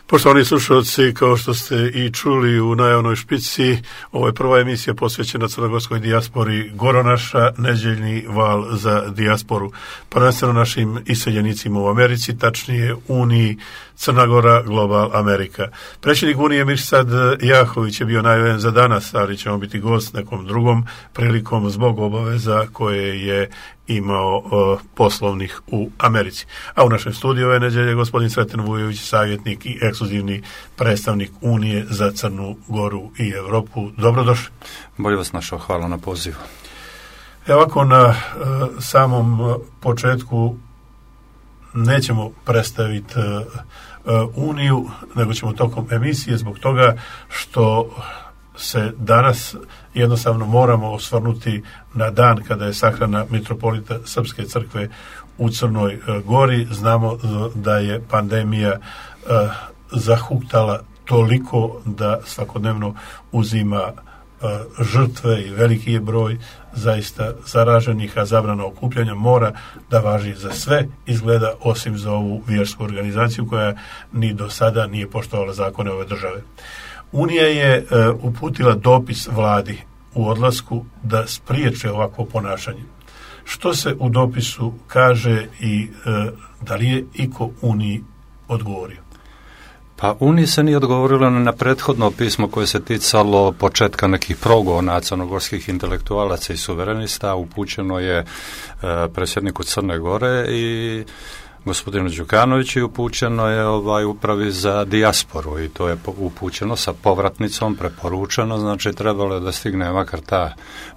Poštovani slušalci, kao što ste i čuli u najavnoj špici, ovo je prva emisija posvećena crnogorskoj dijaspori Goronaša, nedjeljni val za dijasporu, prvenstveno našim iseljenicima u Americi, tačnije Uniji Crna Gora Global Amerika. Predsjednik Unije Mirsad Jahović je bio najavljen za danas, ali ćemo biti gost nekom drugom prilikom zbog obaveza koje je imao poslovnih u Americi. A u našem studiju ove nedjelje gospodin Sreten Vujović, savjetnik i ekskluzivni predstavnik Unije za Crnu Goru i Europu. Dobrodošli. Bolje vas našao, hvala na pozivu. Ovako na samom početku nećemo predstaviti Uniju, nego ćemo tokom emisije zbog toga što se danas jednostavno moramo osvrnuti na dan kada je sahrana mitropolita Srpske crkve u Crnoj Gori. Znamo da je pandemija zahuktala toliko da svakodnevno uzima žrtve i veliki je broj zaista zaraženih, a zabrana okupljanja mora da važi za sve, izgleda, osim za ovu vjersku organizaciju koja ni do sada nije poštovala zakone ove države. Unija je uputila dopis vladi u odlasku da spriječe ovakvo ponašanje. Što se u dopisu kaže i da li je iko Uniji odgovorio? Pa Uniji se nije odgovorilo na prethodno pismo koje se ticalo početka nekih progona crnogorskih intelektualaca i suverenista. Upućeno je predsjedniku Crne Gore i gospodinu Đukanoviću, upućeno je upravi za dijasporu i to je upućeno sa povratnicom, preporučeno, znači trebalo je da stigne makar ta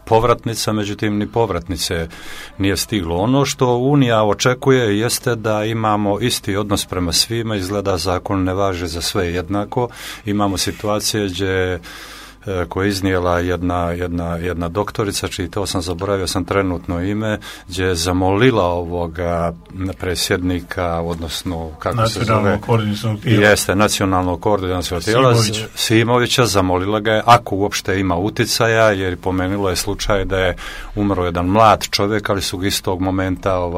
povratnica, međutim ni povratnice nije stiglo. Ono što Unija očekuje jeste da imamo isti odnos prema svima, izgleda zakon ne važi za sve jednako, imamo situacije gdje koja je iznijela jedna doktorica, čiji to sam zaboravio sam trenutno ime, gdje je zamolila ovoga predsjednika, odnosno kako se zove, jeste nacionalnog koordinacionog tijela Simovića, zamolila ga je ako uopšte ima uticaja, jer pomenulo je slučaj da je umro jedan mlad čovjek, ali su ga istog momenta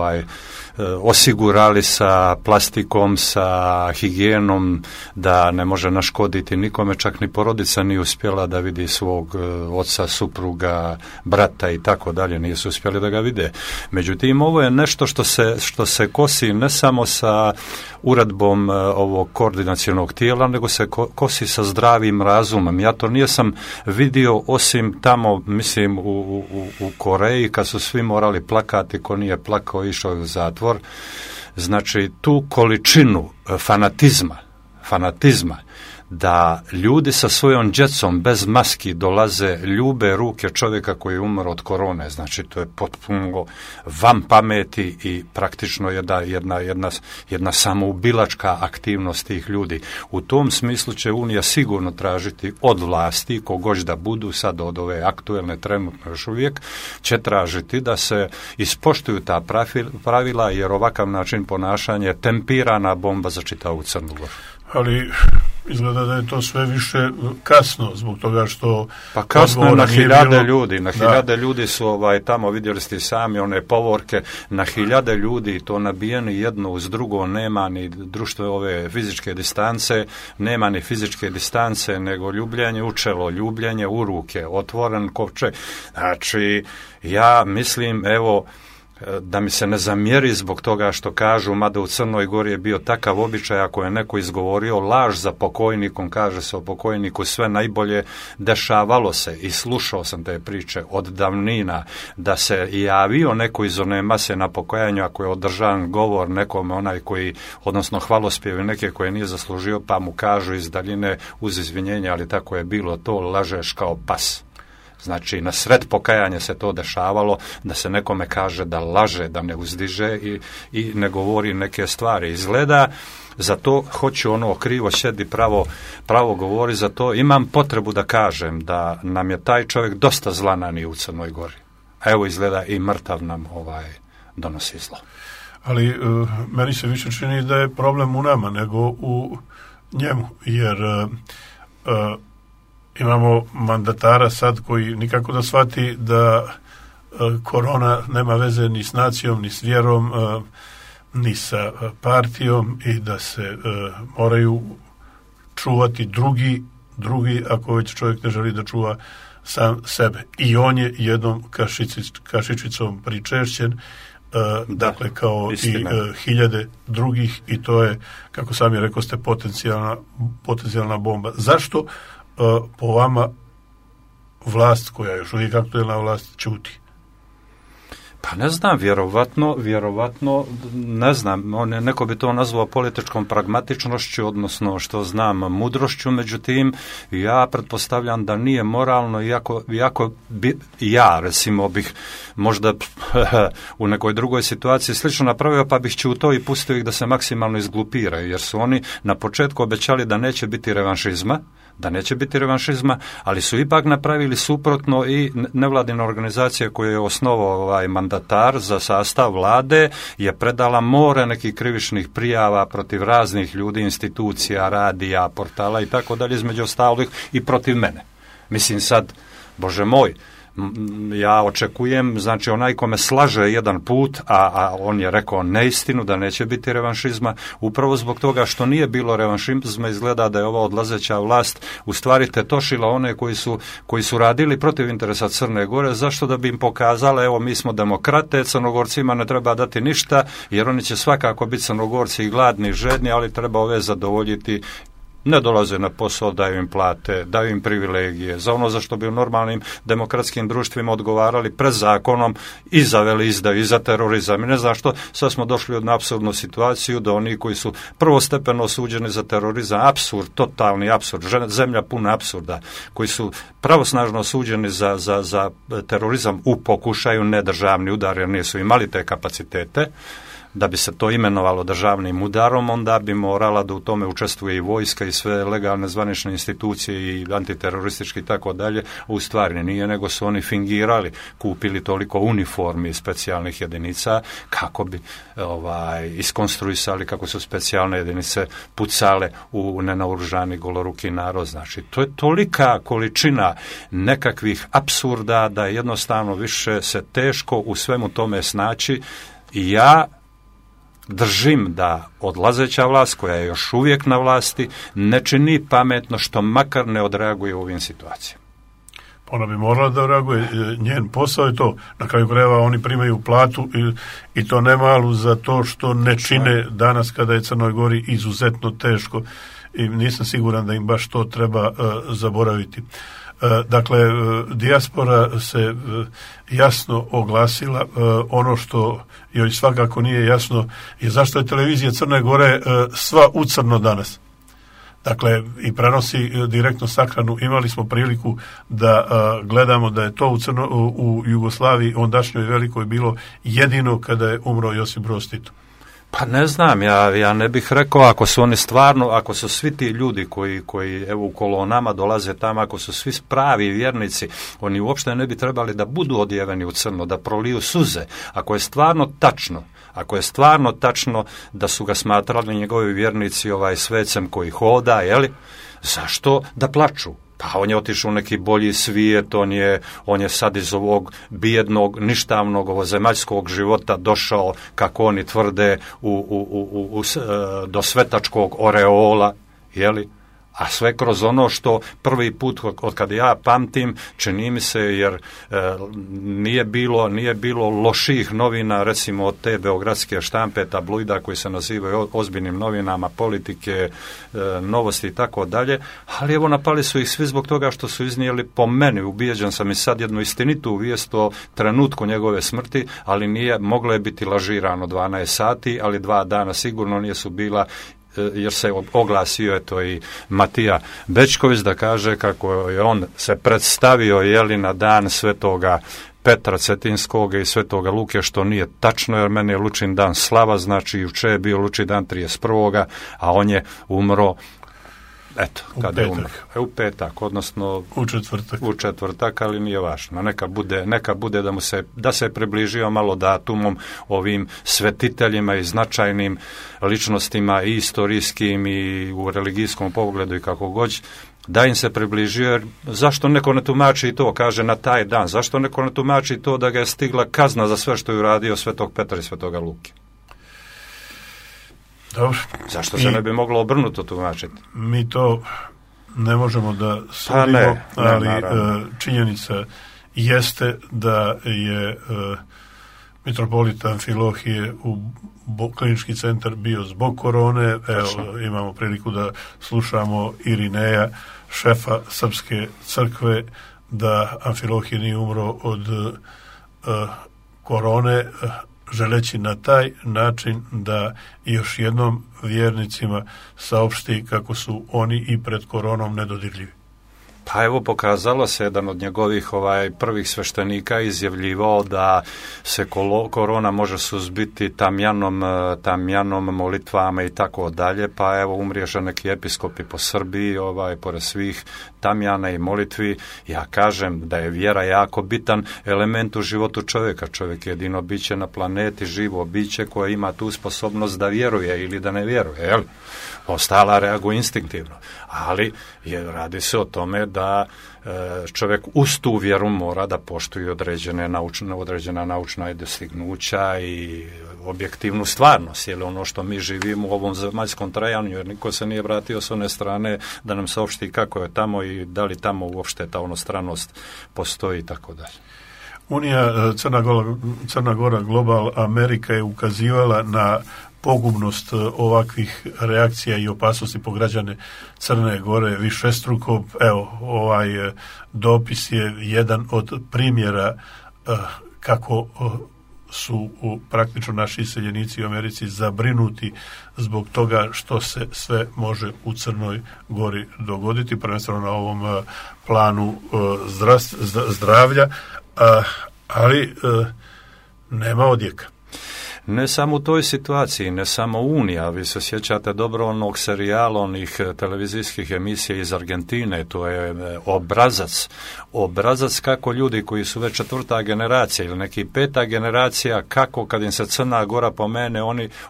osigurali sa plastikom, sa higijenom, da ne može naškoditi nikome, čak ni porodica nije uspjela da vidi svog oca, supruga, brata i tako dalje, nisu uspjeli da ga vide. Međutim, ovo je nešto što se kosi ne samo sa uredbom ovog koordinacionog tijela, nego se kosi sa zdravim razumom. Ja to nisam vidio osim tamo, mislim, u Koreji, kad su svi morali plakati, ko nije plakao išao u zatvor. Znači, tu količinu fanatizma, da ljudi sa svojom djecom bez maski dolaze, ljube ruke čovjeka koji je umro od korone, znači to je potpuno van pameti i praktično jedna samoubilačka aktivnost tih ljudi. U tom smislu će Unija sigurno tražiti od vlasti, kogoć da budu sad od ove aktuelne trenutno još uvijek, će tražiti da se ispoštuju ta pravila, jer ovakav način ponašanja je tempirana bomba za čitavu Crnu Goru. Ali izgleda da je to sve više kasno, zbog toga što... Pa kasno je na hiljade ljudi, hiljade ljudi su tamo, vidjeli ste sami one povorke, na hiljade ljudi, to nabijeni jedno uz drugo, nema ni društvo ove fizičke distance, nema ni fizičke distance, nego ljubljenje u čelo, ljubljenje u ruke, otvoren kovčeg. Znači, ja mislim, evo, da mi se ne zamjeri zbog toga što kažu, mada u Crnoj Gori je bio takav običaj, ako je neko izgovorio laž za pokojnikom, kaže se o pokojniku sve najbolje, dešavalo se i slušao sam te priče od davnina, da se javio neko iz one mase na pokojanju, ako je održan govor nekome, onaj koji, odnosno hvalospjevi neke koje nije zaslužio, pa mu kažu iz daljine uz izvinjenje, ali tako je bilo, to lažeš kao pas. Znači, na sred pokajanja se to dešavalo, da se nekome kaže da laže, da ne uzdiže i ne govori neke stvari. Izgleda, za to hoću krivo sjedi, pravo govori, za to imam potrebu da kažem da nam je taj čovjek dosta zla nanio u Crnoj Gori. A evo izgleda i mrtav nam donosi zlo. Ali meni se više čini da je problem u nama nego u njemu, jer imamo mandatara sad koji nikako da shvati da korona nema veze ni s nacijom, ni s vjerom, ni sa partijom i da se moraju čuvati drugi ako već čovjek ne želi da čuva sam sebe. I on je jednom kašičicom pričešćen, dakle kao istina. I hiljade drugih, i to je, kako sami rekao ste, potencijalna bomba. Zašto po vama vlast, koja je još uvijek aktuelna vlast, ćuti? Pa ne znam, vjerovatno, ne znam, neko bi to nazvao političkom pragmatičnošću, odnosno što znam, mudrošću, međutim, ja pretpostavljam da nije moralno, iako bi ja, recimo, bih možda u nekoj drugoj situaciji slično napravio, pa bih ćutao i pustio ih da se maksimalno izglupiraju, jer su oni na početku obećali da neće biti revanšizma, ali su ipak napravili suprotno i nevladina organizacija koju je osnovao mandatar za sastav vlade je predala more nekih krivičnih prijava protiv raznih ljudi, institucija, radija, portala i tako dalje, između ostalih i protiv mene. Mislim sad, Bože moj, ja očekujem, znači onaj kome slaže jedan put, a on je rekao neistinu da neće biti revanšizma, upravo zbog toga što nije bilo revanšizma, izgleda da je ova odlazeća vlast u stvari tetošila one koji su radili protiv interesa Crne Gore, zašto? Da bi im pokazala, evo mi smo demokrate, Crnogorcima ne treba dati ništa, jer oni će svakako biti Crnogorci i gladni i žedni, ali treba ove zadovoljiti. Ne dolaze na posao, daju im plate, daju im privilegije, za ono za što bi u normalnim demokratskim društvima odgovarali pred zakonom i za veleizdaju i za terorizam i ne znam što. Sad smo došli od apsurdnu situaciju da oni koji su prvostepeno osuđeni za terorizam, apsurd, totalni apsurd, zemlja puna apsurda, koji su pravosnažno osuđeni za terorizam u pokušaju, nedržavni udar jer nisu imali te kapacitete, da bi se to imenovalo državnim udarom, onda bi morala da u tome učestvuje i vojska i sve legalne zvanične institucije i antiteroristički i tako dalje. U stvari nije, nego su oni fingirali, kupili toliko uniformi i specijalnih jedinica kako bi iskonstruisali kako su specijalne jedinice pucale u nenaoružani goloruki narod. Znači, to je tolika količina nekakvih apsurda da jednostavno više se teško u svemu tome snaći. I ja držim da odlazeća vlast, koja je još uvijek na vlasti, ne čini pametno što makar ne odreaguje u ovim situacijama. Ona bi morala da reaguje, njen posao je to. Na kraju krajeva oni primaju platu i to ne malu za to što ne čine danas kada je Crnoj Gori izuzetno teško i nisam siguran da im baš to treba zaboraviti. Dakle, dijaspora se jasno oglasila. Ono što joj svakako nije jasno je zašto je televizija Crne Gore sva u crno danas. Dakle, i prenosi direktno sahranu. Imali smo priliku da gledamo da je to u Jugoslaviji ondašnjoj velikoj bilo jedino kada je umro Josip Broz Tito. Pa ne znam, ja ne bih rekao, ako su oni stvarno, ako su svi ti ljudi koji evo u kolonama dolaze tamo, ako su svi pravi vjernici, oni uopšte ne bi trebali da budu odjeveni u crno, da proliju suze. Ako je stvarno tačno da su ga smatrali njegovi vjernici svecem koji hoda, zašto da plaču? Pa on je otišao u neki bolji svijet, on je sad iz ovog bijednog, ništavnog, ovozemaljskog života došao, kako oni tvrde, do svetačkog oreola, a sve kroz ono što prvi put od kada ja pamtim, čini mi se, jer nije bilo loših novina, recimo od te beogradske štampe, tabloida koji se nazivaju ozbiljnim novinama, politike, novosti i tako dalje, ali evo napali su ih svi zbog toga što su iznijeli, po meni, ubijeđen sam i sad, jednu istinitu vijest o trenutku njegove smrti, ali nije, moglo je biti lažirano 12 sati, ali 2 dana sigurno nisu bila, jer se oglasio i Matija Bećković da kaže kako je on se predstavio na dan Svetoga Petra Cetinskog i Svetoga Luke, što nije tačno, jer meni je Lučin dan slava, znači juče je bio Lučin dan 31. a on je umro kada je umro. U petak, odnosno u četvrtak, ali nije važno. Neka bude da se približio malo datumom ovim svetiteljima i značajnim ličnostima i istorijskim i u religijskom pogledu i kako god, da im se približio, jer zašto neko ne tumači i to, kaže na taj dan, zašto neko ne tumači to da ga je stigla kazna za sve što je uradio Svetog Petra i Svetoga Luke? Dobro. Zašto se ne bi moglo obrnuto tumačiti? Mi to ne možemo da sudimo, ali činjenica jeste da je mitropolit Amfilohije u klinički centar bio zbog korone. Evo, imamo priliku da slušamo Irineja, šefa Srpske crkve, da Amfilohije nije umro od korone, želeći na taj način da još jednom vjernicima saopšti kako su oni i pred koronom nedodirljivi. Pa evo, pokazalo se jedan od njegovih prvih sveštenika izjavljivao da se korona može suzbiti tamjanom, molitvama i tako dalje, pa evo umriješe neki episkopi po Srbiji, pored svih tamjana i molitvi. Ja kažem da je vjera jako bitan element u životu čovjeka. Čovjek je jedino biće na planeti, živo biće koje ima tu sposobnost da vjeruje ili da ne vjeruje, jel? Ostala reaguje instinktivno, ali radi se o tome da čovjek uz tu vjeru mora da poštuje određena naučna dostignuća i objektivnu stvarnost, jer ono što mi živimo u ovom zemaljskom trajanju, jer niko se nije vratio s one strane da nam saopšti kako je tamo i da li tamo uopšte ta onostranost postoji i tako dalje. Unija Crna Gora Global Amerika je ukazivala na pogubnost ovakvih reakcija i opasnosti po građane Crne Gore višestruko. Evo, ovaj dopis je jedan od primjera kako su praktično naši iseljenici u Americi zabrinuti zbog toga što se sve može u Crnoj Gori dogoditi, prvenstveno na ovom planu zdravlja, ali nema odjeka. Ne samo u toj situaciji, ne samo Unija, vi se sjećate dobro onog serijala, onih televizijskih emisija iz Argentine, to je obrazac kako ljudi koji su već 4. generacija ili neki 5. generacija, kako kad im se Crna Gora pomene,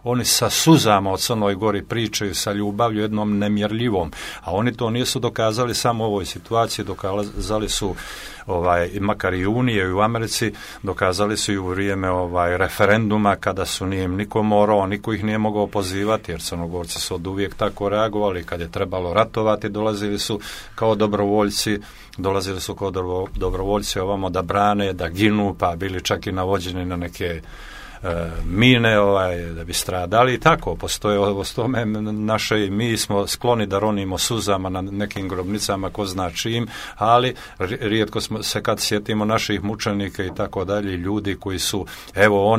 oni sa suzama o Crnoj Gori pričaju, sa ljubavlju jednom nemjerljivom, a oni to nisu dokazali samo u ovoj situaciji, dokazali su makar i Unije i u Americi, dokazali su i u vrijeme referenduma kada su nije niko morao, niko ih nije mogao pozivati, jer Crnogorci su od uvijek tako reagovali, kad je trebalo ratovati dolazili su kao dobrovoljci ovamo da brane, da ginu, pa bili čak i navođeni na neke mine da bi stradali i tako. Postoje o tome naše, mi smo skloni da ronimo suzama na nekim grobnicama ko zna čim, ali rijetko smo se kad sjetimo naših mučenika i tako dalje, ljudi koji su, evo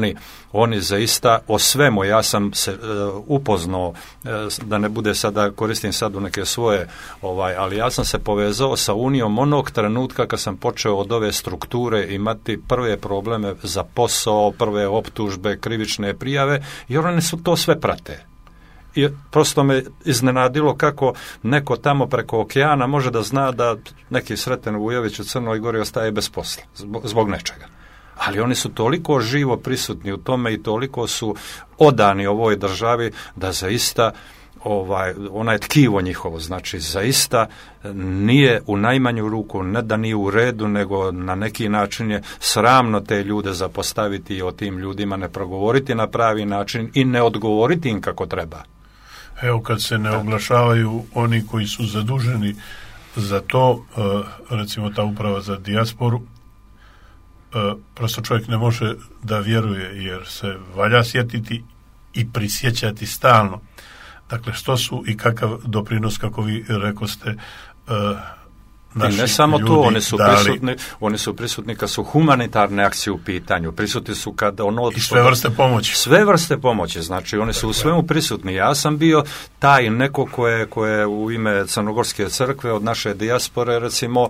oni zaista o svemu, ja sam se upoznao, da ne bude sada, koristim sad u neke svoje, ali ja sam se povezao sa Unijom onog trenutka kad sam počeo od ove strukture imati prve probleme za posao, prve optužbe, krivične prijave, jer oni su to sve prate. I prosto me iznenadilo kako neko tamo preko okeana može da zna da neki Sreten Vujović u Crnoj Gori ostaje bez posla zbog nečega. Ali oni su toliko živo prisutni u tome i toliko su odani ovoj državi da zaista onaj tkivo njihovo, znači zaista nije u najmanju ruku, ne da nije u redu, nego na neki način je sramno te ljude zapostaviti i o tim ljudima ne progovoriti na pravi način i ne odgovoriti im kako treba. Evo, kad se ne oglašavaju oni koji su zaduženi za to, recimo ta uprava za dijasporu, prosto čovjek ne može da vjeruje, jer se valja sjetiti i prisjećati stalno. Dakle, što su i kakav doprinos, kako vi rekoste, I ne samo to, oni su prisutni kad su humanitarne akcije u pitanju, prisutni su kad i sve vrste pomoći. Sve vrste pomoći, znači oni su u svemu prisutni. Ja sam bio taj neko ko je u ime Crnogorske crkve od naše dijaspore recimo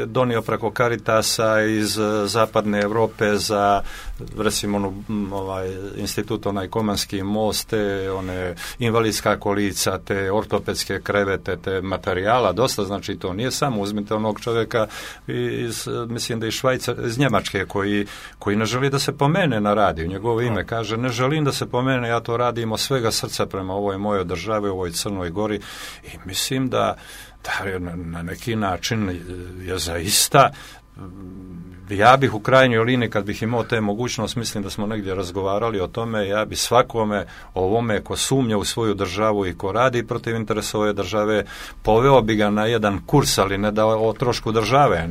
donio preko Caritasa iz zapadne Europe za recimo institut Komanski most, te one invalidska kolica, te ortopedske krevete, te materijala dosta, znači to nije samo, uzmite onog čovjeka mislim da iz iz Njemačke koji ne želi da se pomene na radiju, njegovo ime kaže ne želim da se pomene, ja to radim od svega srca prema ovoj mojoj državi, ovoj Crnoj Gori i mislim da na neki način je zaista ja bih u krajnjoj liniji, kad bih imao te mogućnost, mislim da smo negdje razgovarali o tome, ja bi svakome ovome ko sumnja u svoju državu i ko radi protiv interesa ove države, poveo bi ga na jedan kurs, ali ne da o trošku države,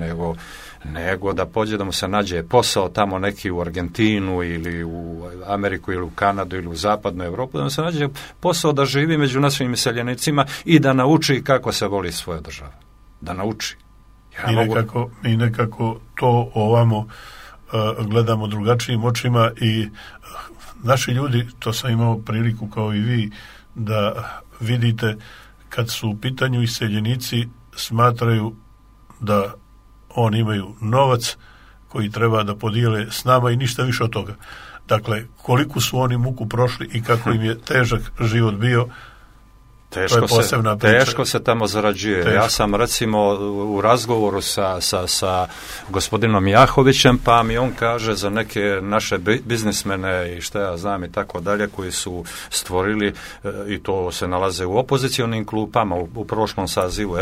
nego da pođe da mu se nađe posao tamo neki u Argentinu ili u Ameriku ili u Kanadu ili u zapadnu Europu, da mu se nađe posao da živi među našim iseljenicima i da nauči kako se voli svoja država. Da nauči. Mi nekako to ovamo gledamo drugačijim očima i naši ljudi, to sam imao priliku kao i vi da vidite, kad su u pitanju iseljenici, smatraju da oni imaju novac koji treba da podijele s nama i ništa više od toga. Dakle, koliko su oni muku prošli i kako im je težak život bio, Teško se tamo zarađuje. Teško. Ja sam recimo u razgovoru sa gospodinom Jahovićem, pa mi on kaže za neke naše biznismene i šta ja znam i tako dalje, koji su stvorili, i to se nalaze u opozicionim klupama u prošlom sazivu,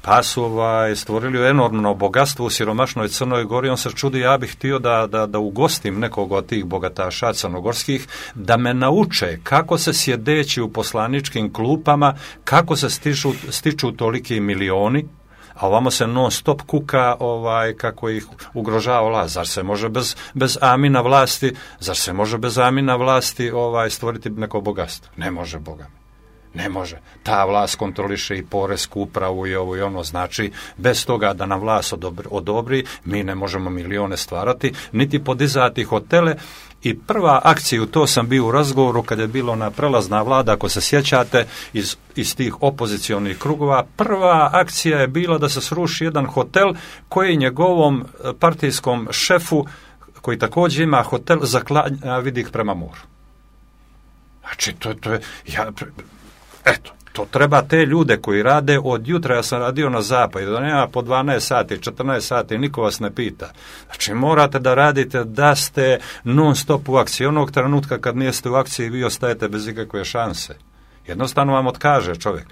pa su stvorili enormno bogatstvo u siromašnoj Crnoj Gori. On se čudi, ja bih htio da ugostim nekog od tih bogataša crnogorskih, da me nauče kako se sjedeći u poslaničkim klupama, kako se stiču toliki milioni, a ovamo se non stop kuka kako ih ugrožava vlast. Zar se može bez amina vlasti stvoriti neko bogatstvo? Ne može, Boga. Ne može. Ta vlast kontroliše i poresku upravu i ovo i ono. Znači, bez toga da nam vlast odobri, mi ne možemo milione stvarati, niti podizati hotele. I prva akcija, to sam bio u razgovoru kad je bilo na prelazna vlada, ako se sjećate, iz tih opozicionih krugova, prva akcija je bila da se sruši jedan hotel koji njegovom partijskom šefu, koji također ima hotel, zaklanja vidik prema moru. Znači, to je... Eto, to treba te ljude koji rade od jutra, ja sam radio na zapadu, da nema po 12 sati, 14 sati, niko vas ne pita. Znači, morate da radite da ste non stop u akciji. Onog trenutka kad niste u akciji, vi ostajete bez ikakve šanse. Jednostavno vam otkaže čovjek.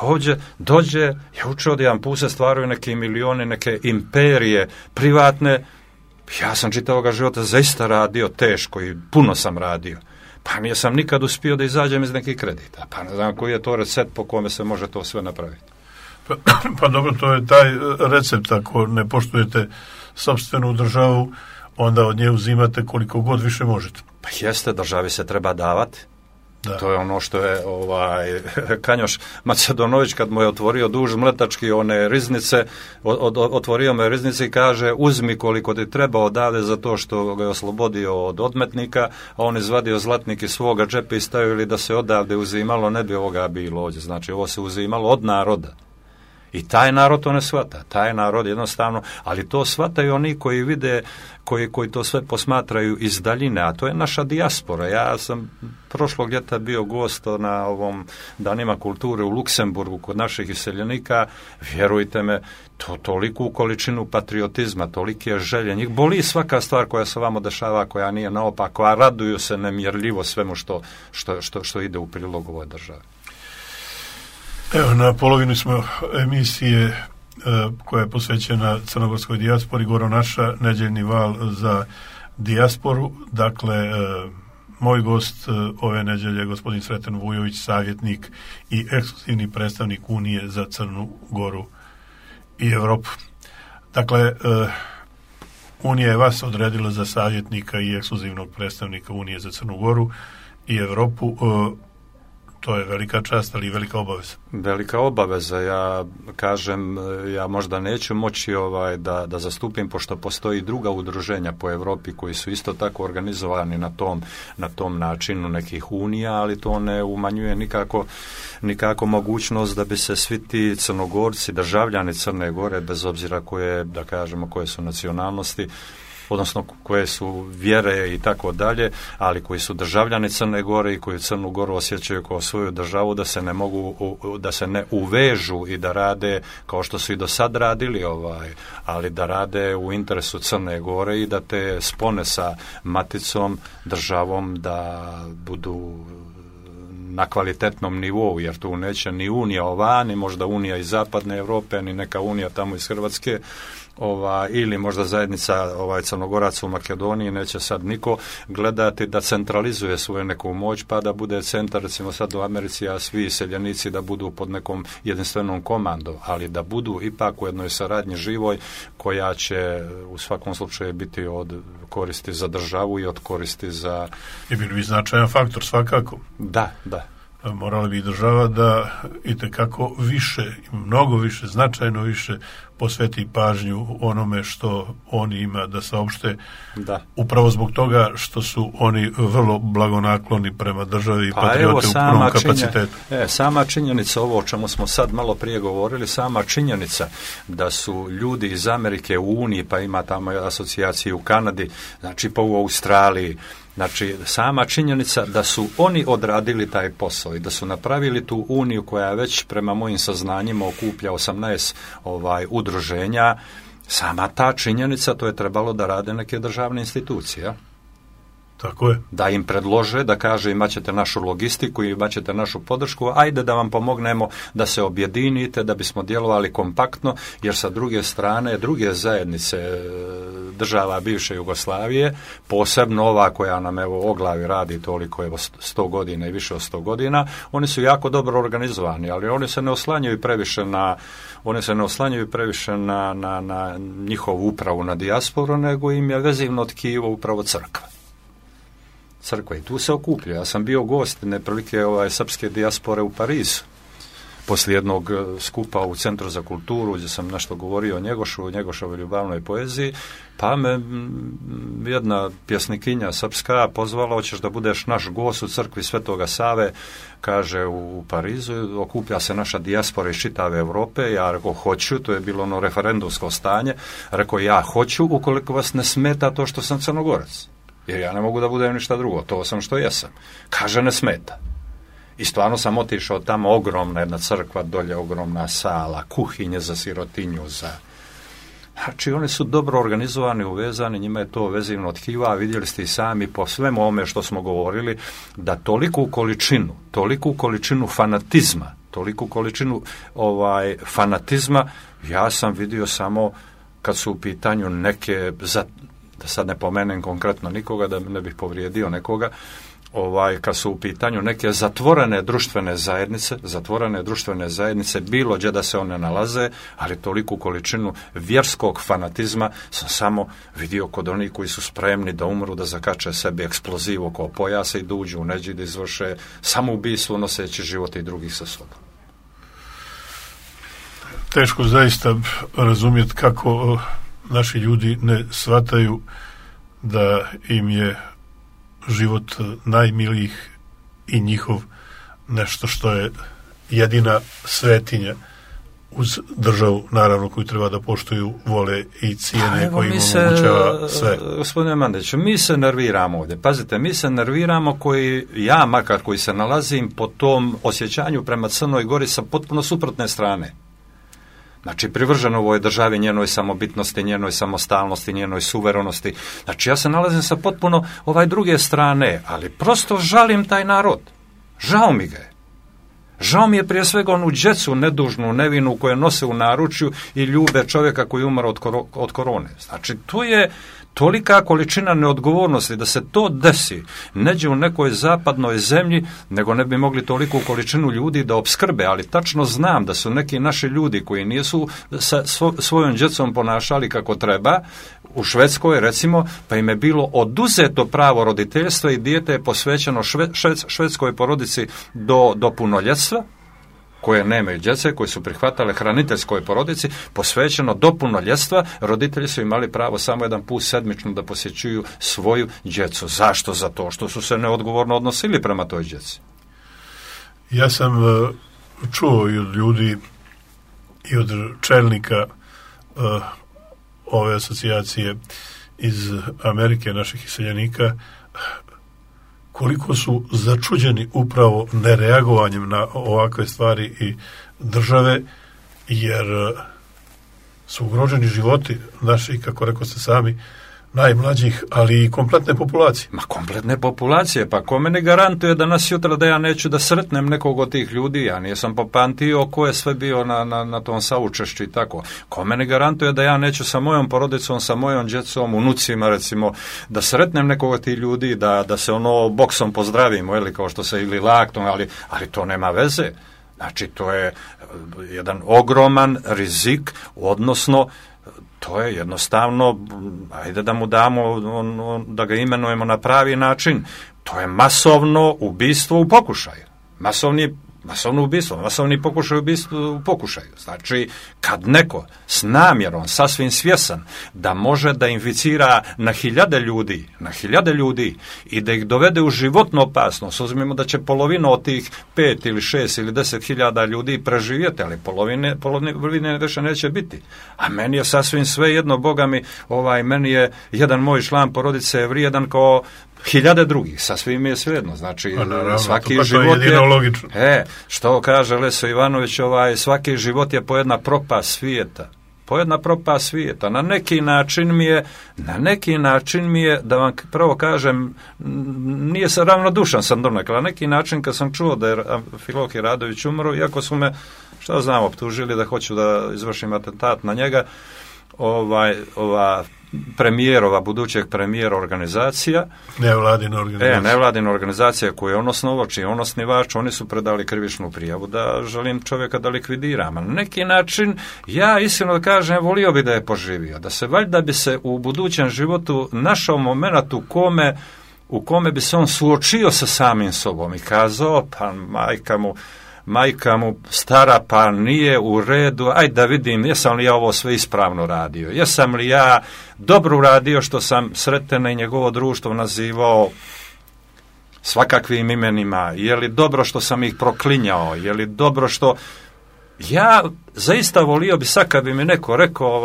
Ovdje dođe, ja učeo da jedan put se stvaraju neke milioni, neke imperije privatne. Ja sam čitavoga života zaista radio teško i puno sam radio. Pa nisam nikad uspio da izađem iz nekih kredita. Pa ne znam koji je to recept po kome se može to sve napraviti. Pa dobro, to je taj recept. Ako ne poštujete sopstvenu državu, onda od nje uzimate koliko god više možete. Pa jeste, državi se treba davati. Da. To je ono što je Kanjoš Macedonović, kad mu je otvorio duž mletački one riznice, otvorio me riznice i kaže, uzmi koliko ti treba odavde za to što ga je oslobodio od odmetnika, a on izvadio zlatnik iz svoga džepa i stavili da se odavde uzimalo, ne bi ovoga bilo ovdje. Znači, ovo se uzimalo od naroda. I taj narod to ne shvata. Taj narod jednostavno, ali to shvataju oni koji vide, koji to sve posmatraju iz daljine, a to je naša dijaspora. Ja sam prošlog ljeta bio gost na ovom Danima kulture u Luksemburgu kod naših iseljenika. Vjerujte me, to toliku količinu patriotizma, tolike želje. Njih boli svaka stvar koja se vamo dešava, koja nije naopako, a raduju se nemjerljivo svemu što ide u prilog ovoj državi. Evo, na polovini smo emisije koja je posvećena crnogorskoj dijaspori, Goro naša, nedjeljni val za dijasporu. Dakle, moj gost ove nedjelje je gospodin Sreten Vujović, savjetnik i ekskluzivni predstavnik Unije za Crnu Goru i Evropu. Dakle, Unija je vas odredila za savjetnika i ekskluzivnog predstavnika Unije za Crnu Goru i Evropu. To je velika čast, ali i velika obaveza. Velika obaveza. Ja kažem, ja možda neću moći da zastupim, pošto postoji druga udruženja po Europi koji su isto tako organizovani na tom načinu nekih unija, ali to ne umanjuje nikako mogućnost da bi se svi ti Crnogorci, državljani Crne Gore, bez obzira koje su nacionalnosti, odnosno koje su vjere i tako dalje, ali koji su državljani Crne Gore i koji Crnu Goru osjećaju kao svoju državu, da se ne uvežu i da rade kao što su i do sad radili, ali da rade u interesu Crne Gore i da te spone sa maticom državom da budu na kvalitetnom nivou, jer tu neće ni Unija ova, ni možda Unija iz zapadne Europe, ni neka Unija tamo iz Hrvatske ili možda zajednica Crnogoraca u Makedoniji, neće sad niko gledati da centralizuje svoju neku moć, pa da bude centar, recimo sad u Americi, a svi seljenici da budu pod nekom jedinstvenom komandom, ali da budu ipak u jednoj saradnji živoj koja će u svakom slučaju biti od koristi za državu i od koristi za... I bili bi značajan faktor svakako. Da. Morala bi država da itekako više, mnogo više, značajno više posveti pažnju onome što oni ima da saopšte. Da. Upravo zbog toga što su oni vrlo blagonakloni prema državi i patriote u punom kapacitetu. Sama činjenica, ovo o čemu smo sad malo prije govorili, sama činjenica da su ljudi iz Amerike u Uniji, pa ima tamo asocijacije u Kanadi, znači pa u Australiji, znači sama činjenica da su oni odradili taj posao i da su napravili tu uniju koja već prema mojim saznanjima okuplja 18 udruženja, sama ta činjenica, to je trebalo da rade neke državne institucije. Tako je. Da im predlože, da kaže imat ćete našu logistiku, imat ćete našu podršku, ajde da vam pomognemo da se objedinite, da bismo djelovali kompaktno, jer sa druge strane, druge zajednice država bivše Jugoslavije, posebno ova koja nam o glavi radi toliko 100 godina i više od 100 godina, oni su jako dobro organizovani, ali oni se ne oslanjaju previše na njihovu upravu, na dijasporu, nego im je vezivno tkivo upravo crkva i tu se okuplja. Ja sam bio gost neprilike srpske dijaspore u Parizu poslije jednog skupa u Centru za kulturu gdje sam nešto govorio o Njegošovoj ljubavnoj poeziji, pa me jedna pjesnikinja srpska pozvala, hoćeš da budeš naš gost u crkvi Svetoga Save, kaže, u Parizu, okuplja se naša dijaspora iz čitave Europe. Ja rekao, hoću, to je bilo ono referendumsko stanje, rekao, ja hoću ukoliko vas ne smeta to što sam Crnogorac. Jer ja ne mogu da budem ništa drugo, to sam što jesam. Kaže, ne smeta. I stvarno sam otišao tamo, ogromna jedna crkva, dolje ogromna sala, kuhinje za sirotinju, Znači, oni su dobro organizovani, uvezani, njima je to vezivno tkiva, vidjeli ste i sami po svemu ovome što smo govorili, da toliku količinu fanatizma, fanatizma, ja sam vidio samo kad su u pitanju neke, da sad ne pomenem konkretno nikoga, da ne bih povrijedio nekoga, kad su u pitanju neke zatvorene društvene zajednice, bilo gdje da se one nalaze, ali toliku količinu vjerskog fanatizma sam samo vidio kod onih koji su spremni da umru, da zakače sebi eksploziv oko pojasa i da uđu u neđi, da izvrše samoubistvo noseći živote i drugih sa sobom. Teško zaista razumjeti kako naši ljudi ne shvataju da im je život najmilijih i njihov nešto što je jedina svetinja uz državu, naravno, koju treba da poštuju, vole i cijene, koji im omogućava sve. Gospodine Mandiću, mi se nerviramo ovdje. Pazite, mi se nerviramo ja makar koji se nalazim po tom osjećanju prema Crnoj Gori sa potpuno suprotne strane. Znači, privrženo ovoj državi, njenoj samobitnosti, njenoj samostalnosti, njenoj suverenosti. Znači, ja se nalazim sa potpuno druge strane, ali prosto žalim taj narod. Žao mi ga je. Žao mi je prije svega onu djecu nedužnu, nevinu koje nose u naručju i ljube čovjeka koji umre od korone. Znači, to je tolika količina neodgovornosti da se to desi neđe u nekoj zapadnoj zemlji, nego ne bi mogli toliku količinu ljudi da opskrbe, ali tačno znam da su neki naši ljudi koji nisu sa svojom djecom ponašali kako treba, u Švedskoj recimo, pa im je bilo oduzeto pravo roditeljstva i dijete je posvećeno švedskoj porodici do punoljetstva, koje nemaju djece, koje su prihvatale hraniteljskoj porodici, posvećeno do punoljetstva, roditelji su imali pravo samo jedan put sedmično da posjećuju svoju djecu. Zašto? Zato što su se neodgovorno odnosili prema toj djeci. Ja sam čuo i od ljudi i od čelnika ove asocijacije iz Amerike, naših iseljenika, koliko su začuđeni upravo nereagovanjem na ovakve stvari i države, jer su ugroženi životi naši, kako rekao ste sami, najmlađih, ali i kompletne populacije. Ma kompletne populacije, pa ko meni garantuje da nas jutra da ja neću da sretnem nekog od tih ljudi, ja nisam popamtio ko je sve bio na tom saučešću i tako. Ko meni garantuje da ja neću sa mojom porodicom, sa mojom djecom, unucima recimo, da sretnem nekog od tih ljudi, da se boksom pozdravimo, ili kao što se ili laktom, ali to nema veze. Znači, to je jedan ogroman rizik, odnosno to je jednostavno, ajde da mu damo, da ga imenujemo na pravi način, to je masovno ubistvo u pokušaju. Masovno ubistvo, masovni pokušaj u pokušaju. Znači, kad neko s namjerom, sasvim svjesan, da može da inficira na hiljade ljudi i da ih dovede u životnu opasnost, uzmimo da će polovina od tih 5 ili 6 ili 10 hiljada ljudi preživjeti, ali polovine više neće biti. A meni je sasvim sve jedno, Boga mi, meni je jedan moj član porodice vrijedan kao hiljade drugih, sasvim je svejedno. Znači, svaki život je, što kaže Leso Ivanović, svaki život je po jedna propast svijeta. Na neki način mi je, da vam prvo kažem, nije se ravnodušan sam donekle, na neki način kad sam čuo da je Amfilohije Radović umro, iako su me, šta znam, optužili da hoću da izvršim atentat na njega, budućeg premijera organizacija. Nevladina organizacija koju je on osnovao, čiji je on osnivač, oni su predali krivičnu prijavu da želim čovjeka da likvidiram. Na neki način, ja iskreno da kažem, volio bi da je poživio, da se valjda bi se u budućem životu našao moment u kome bi se on suočio sa samim sobom i kazao, pa majka mu stara, pa nije u redu, ajde da vidim jesam li ja ovo sve ispravno radio, jesam li ja dobro uradio što sam Sretena i njegovo društvo nazivao svakakvim imenima, je li dobro što sam ih proklinjao, je li dobro što... Ja zaista volio bi sad kad bi mi neko rekao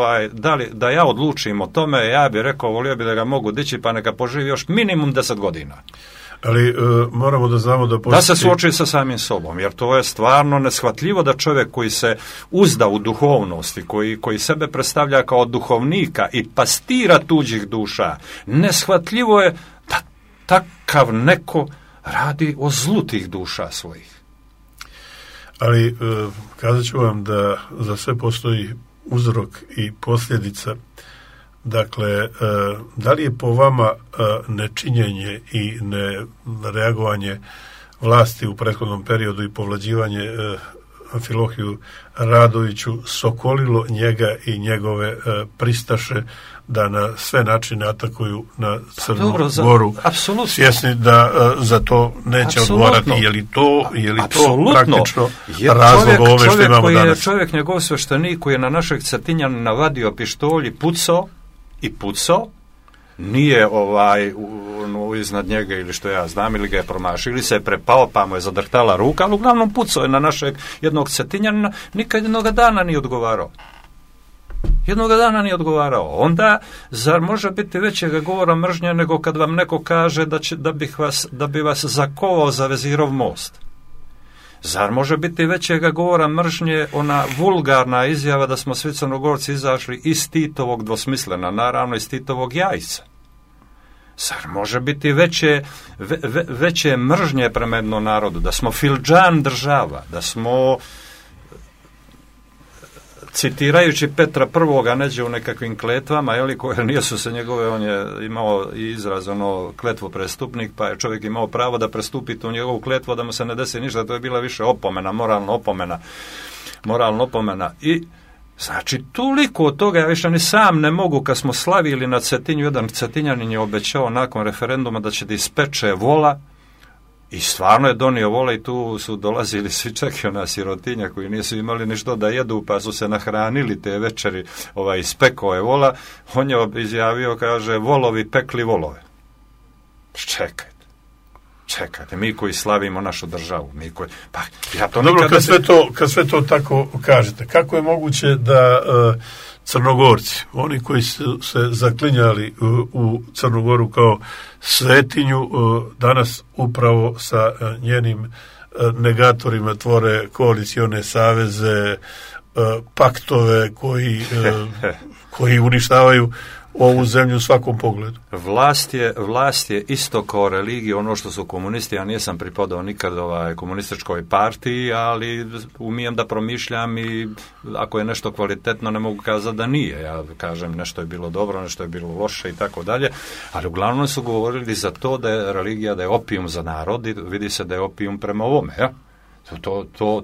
da ja odlučim o tome, ja bi rekao volio bi da ga mogu dići pa neka poživi još minimum 10 godina. Ali moramo da znamo da se suoči sa samim sobom, jer to je stvarno neshvatljivo da čovjek koji se uzda u duhovnost i koji sebe predstavlja kao duhovnika i pastira tuđih duša, neshvatljivo je da takav neko radi o zlu tih duša svojih. Ali kazat ću vam da za sve postoji uzrok i posljedica. Dakle, da li je po vama nečinjenje i nereagovanje vlasti u prethodnom periodu i povlađivanje Amfilohiju Radoviću sokolilo njega i njegove pristaše da na sve načine atakuju na Crnu Goru, svjesni da za to neće odgovarati? Je li to praktično razlog ove što imamo danas? Čovjek, njegov sveštenik koji je na našeg Cetinjanina vadio pištolj i pucao, nije iznad njega ili što ja znam, ili ga je promašio, ili se je prepao pa mu je zadrhtala ruka, ali uglavnom pucao je na našeg jednog Cetinjanina, nikad jednoga dana nije odgovarao. Onda, zar može biti većega govora mržnje nego kad vam neko kaže da bi vas zakovao za Vezirov most? Zar može biti većega govora mržnje ona vulgarna izjava da smo svi Crnogorci izašli iz Titovog dvosmislena, naravno iz Titovog jajca? Zar može biti veće mržnje prema jednom narodu, da smo filđan država, da smo, citirajući Petra I. neđe u nekakvim kletvama, koje nisu se njegove, on je imao izraz kletvu prestupnik, pa je čovjek imao pravo da prestupi tu njegovu kletvu, da mu se ne desi ništa, to je bila više opomena, moralna opomena. I znači, toliko od toga, ja više ni sam ne mogu, kad smo slavili na Cetinju, jedan Cetinjanin je obećao nakon referenduma da će da ispeče vola, i stvarno je donio vola i tu su dolazili svi čak i ona sirotinja koji nisu imali ništa da jedu, pa su se nahranili te večeri, ispekao je vola. On je izjavio, kaže, volovi pekli volove. Čekajte, mi koji slavimo našu državu, Dobro, kad sve to tako kažete, kako je moguće da Crnogorci, oni koji su se zaklinjali u Crnu Goru kao svetinju, danas upravo sa njenim negatorima tvore koalicione saveze, paktove koji uništavaju ovu zemlju u svakom pogledu. Vlast je isto kao religija, ono što su komunisti. Ja nisam pripadao nikad komunističkoj partiji, ali umijem da promišljam i ako je nešto kvalitetno ne mogu kazati da nije. Ja kažem nešto je bilo dobro, nešto je bilo loše i tako dalje, ali uglavnom su govorili za to da je religija, da je opijum za narod i vidi se da je opijum prema ovome. Ja?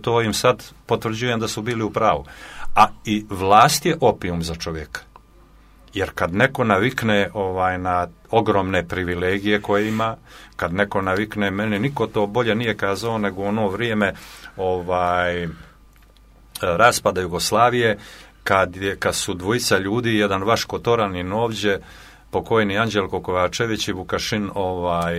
To im sad potvrđujem da su bili u pravu. A i vlast je opijum za čovjeka. Jer kad neko navikne na ogromne privilegije koje ima, kad neko navikne, meni niko to bolje nije kazao nego ono vrijeme raspada Jugoslavije, kad su dvojica ljudi, jedan Vaško Toranin ovdje, pokojni Anđelko Kovačević i Vukašin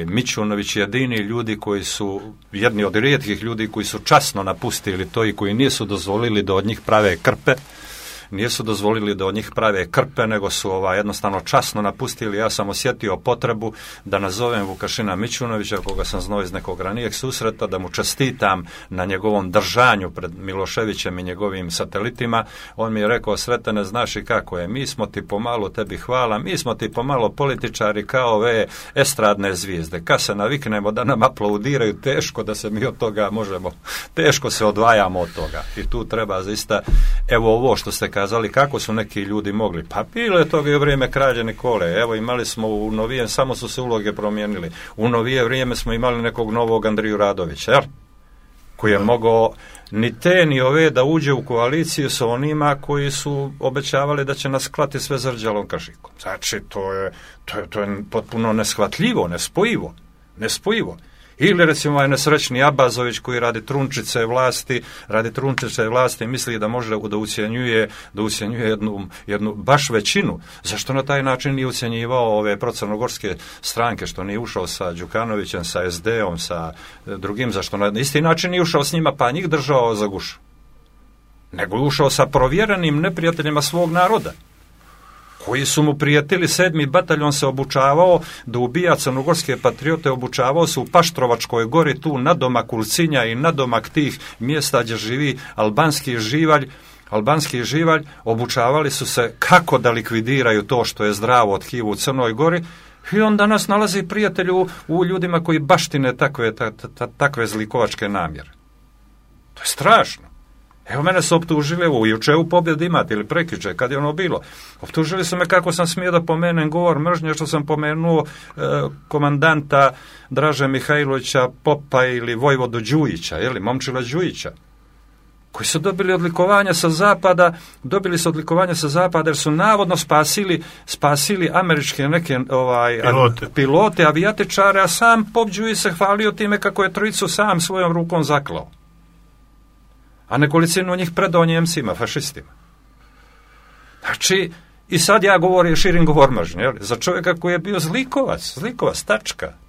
Mićunović, jedini ljudi koji su, jedni od rijetkih ljudi koji su časno napustili to i koji nisu dozvolili da od njih prave krpe, nego su jednostavno časno napustili. Ja sam osjetio potrebu da nazovem Vukašina Mićunovića, koga sam znao iz nekog ranijeg susreta, da mu čestitam na njegovom držanju pred Miloševićem i njegovim satelitima. On mi je rekao: Sretene, znaš i kako je, mi smo ti pomalo, tebi hvala, mi smo ti pomalo političari kao ove estradne zvijezde. Kad se naviknemo da nam aplaudiraju, teško da se mi od toga možemo, teško se odvajamo od toga. I tu treba zaista, evo ovo što ste kazali, kako su neki ljudi mogli. Pa bilo je toga i u vrijeme kralja Nikole. Evo, imali smo u novije, samo su se uloge promijenili. U novije vrijeme smo imali nekog novog Andriju Radovića, jel? Koji je mogao ni te ni ove da uđe u koaliciju sa onima koji su obećavali da će nas klati sve zrđalom kašikom. Znači, to je potpuno neshvatljivo, nespojivo. Ili recimo nesrećni Abazović koji radi trunčice vlasti misli da može da ucjenjuje jednu baš većinu. Zašto na taj način nije ucjenjivao ove procrnogorske stranke, što nije ušao sa Đukanovićem, sa SD-om, sa drugim, zašto na isti način nije ušao s njima pa njih držao za gušu? Nego je ušao sa provjerenim neprijateljima svog naroda, koji su mu prijatelji. 7. bataljon se obučavao da ubija crnogorske patriote, obučavao se u Paštrovačkoj gori, tu nadomak Ulcinja i nadomak tih mjesta gdje živi albanski živalj, obučavali su se kako da likvidiraju to što je zdravo od HIV u Crnoj Gori, i on danas nalazi prijatelju u ljudima koji baštine takve zlikovačke namjere. To je strašno. Evo, mene su optužili, evo, juče u Pobjedi imate ili prekjuče, kad je ono bilo. Optužili su me kako sam smio da pomenem govor mržnje, što sam pomenuo komandanta Draže Mihajlovića Popa ili Vojvodu Đujića, Momčila Đujića, koji su dobili odlikovanja sa zapada, jer su navodno spasili američke neke pilote, avijatičare, a sam Pop Đujić se hvalio time kako je trojicu sam svojom rukom zaklao, a nekolicinu njih predao Njemcima, fašistima. Znači, i sad ja širim govor mržnje, za čovjeka koji je bio zlikovac,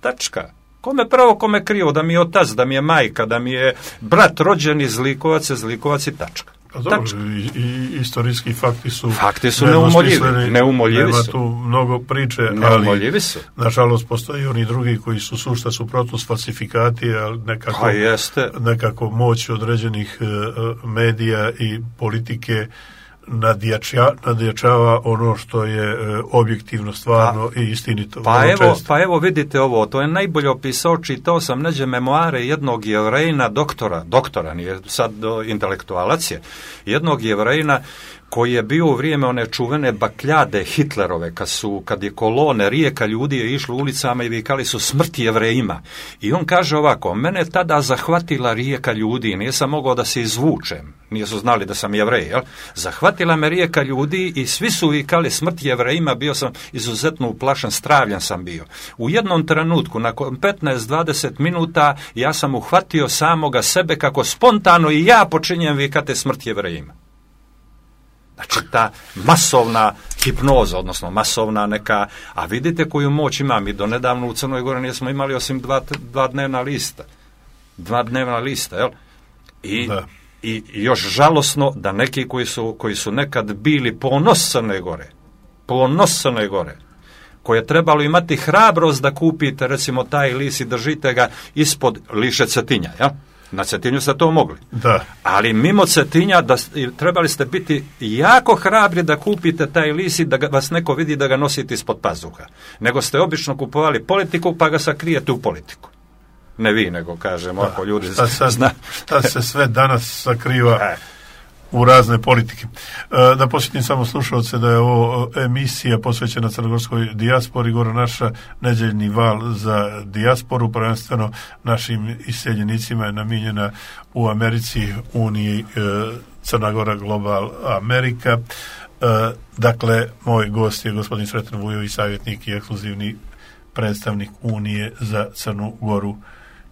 tačka. Kome pravo, kome krivo, da mi je otac, da mi je majka, da mi je brat rođeni zlikovac i tačka. I istorijski fakti su neumoljivi nema su. Tu mnogo priče, ali nažalost postoji oni drugi koji su sušta suprotnost, falsifikati, ali nekako moć određenih medija i politike nadjačava ono što je objektivno, stvarno i istinito. Pa evo vidite ovo, to je najbolje opisao, čitao sam neđe memoare jednog Jevrejna, doktora, nije sad intelektualac je, jednog Jevrejna koji je bio u vrijeme one čuvene bakljade Hitlerove, kad je kolone, rijeka ljudi je išlo ulicama i vikali su smrt Jevrejima. I on kaže ovako: mene tada zahvatila rijeka ljudi, nisam mogao da se izvučem, nisu znali da sam Jevrej, zahvatila me rijeka ljudi i svi su vikali smrt Jevrejima, bio sam izuzetno uplašen, stravljen sam bio. U jednom trenutku, nakon 15-20 minuta, ja sam uhvatio samoga sebe kako spontano i ja počinjem vikati smrt Jevrejima. Znači, ta masovna hipnoza, odnosno masovna neka, a vidite koju moć ima. Mi do nedavno u Crnoj Gori nismo imali osim dva dnevna lista, jel? I još žalosno da neki koji su nekad bili ponos Crne Gore, koje je trebalo imati hrabrost da kupite recimo taj list i držite ga ispod liše Cetinja, jel? Na Cetinju ste to mogli. Da. Ali mimo Cetinja trebali ste biti jako hrabri da kupite taj list i da vas neko vidi da ga nosite ispod pazuha. Nego ste obično kupovali politiku pa ga sakrijete u politiku. Ne vi, nego kažemo, ako ljudi zna. Šta se sve danas sakriva u razne politike. Da posjetim samo slušalce da je ovo emisija posvećena crnogorskoj dijaspori, gore naša nedeljni val za dijasporu, prvenstveno našim iseljenicima je namijenjena u Americi, Uniji, Crna Gora, Global Amerika. Dakle, moj gost je gospodin Sreten Vujović, savjetnik i ekskluzivni predstavnik Unije za Crnu Goru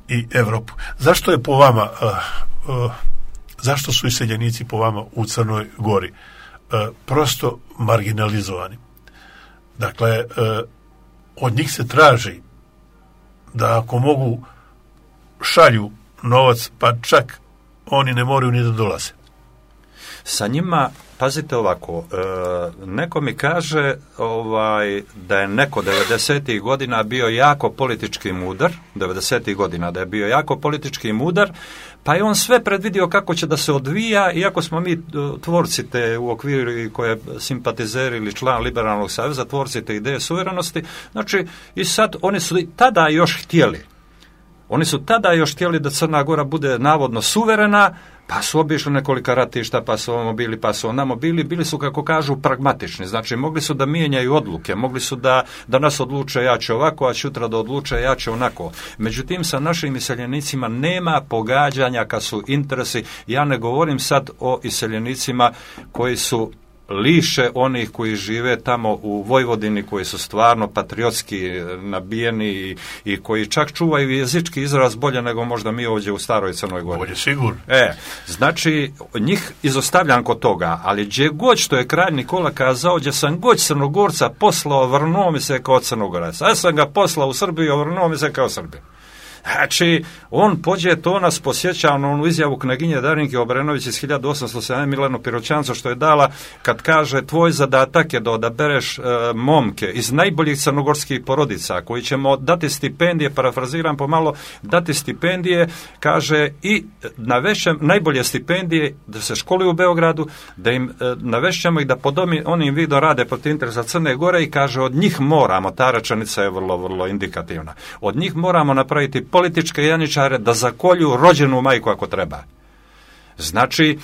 i Evropu. Zašto je po vama zašto su iseljenici po vama u Crnoj Gori prosto marginalizovani? Dakle, od njih se traži da ako mogu šalju novac, pa čak oni ne moraju ni da dolaze. Sa njima, pazite ovako, neko mi kaže da je neko 90. godina bio jako politički mudar, 90. godina da je bio jako politički mudar, pa je on sve predvidio kako će da se odvija, iako smo mi tvorci te u okviru koje simpatizeri ili član Liberalnog saveza, tvorci te ideje suverenosti, znači i sad oni su tada još htjeli da Crna Gora bude navodno suverena, pa su obišli nekolika ratišta, pa su ovamo bili, pa su onamo bili su, kako kažu, pragmatični. Znači, mogli su da mijenjaju odluke, mogli su da nas odluče ja ću ovako, a sutra da odluče ja ću onako. Međutim, sa našim iseljenicima nema pogađanja kad su interesi. Ja ne govorim sad o iseljenicima koji su liše onih koji žive tamo u Vojvodini, koji su stvarno patriotski nabijeni i koji čak čuvaju jezički izraz bolje nego možda mi ovdje u staroj Crnoj Gori. Bolje sigurno. Znači, njih izostavljam kod toga, ali gdje god što je kralj Nikola kazao, gdje sam god Crnogorca poslao, vrnuo mi se kao Crnogorac. Ja sam ga poslao u Srbiju, vrnuo mi se kao Srbiju. Znači, on pođe, to nas posjeća na onu izjavu knaginje Darinke Obrenović iz 1807 Milenu Piroćancu, što je dala kad kaže tvoj zadatak je da odabereš momke iz najboljih crnogorskih porodica koji ćemo dati stipendije, parafraziram pomalo, dati stipendije, kaže, i najbolje stipendije da se školuju u Beogradu, da im navešćemo ih da pod onim vidom rade protiv interesa Crne Gore i kaže od njih moramo, ta rečenica je vrlo, vrlo indikativna, od njih moramo napraviti političke janičare da zakolju rođenu majku ako treba. Znači,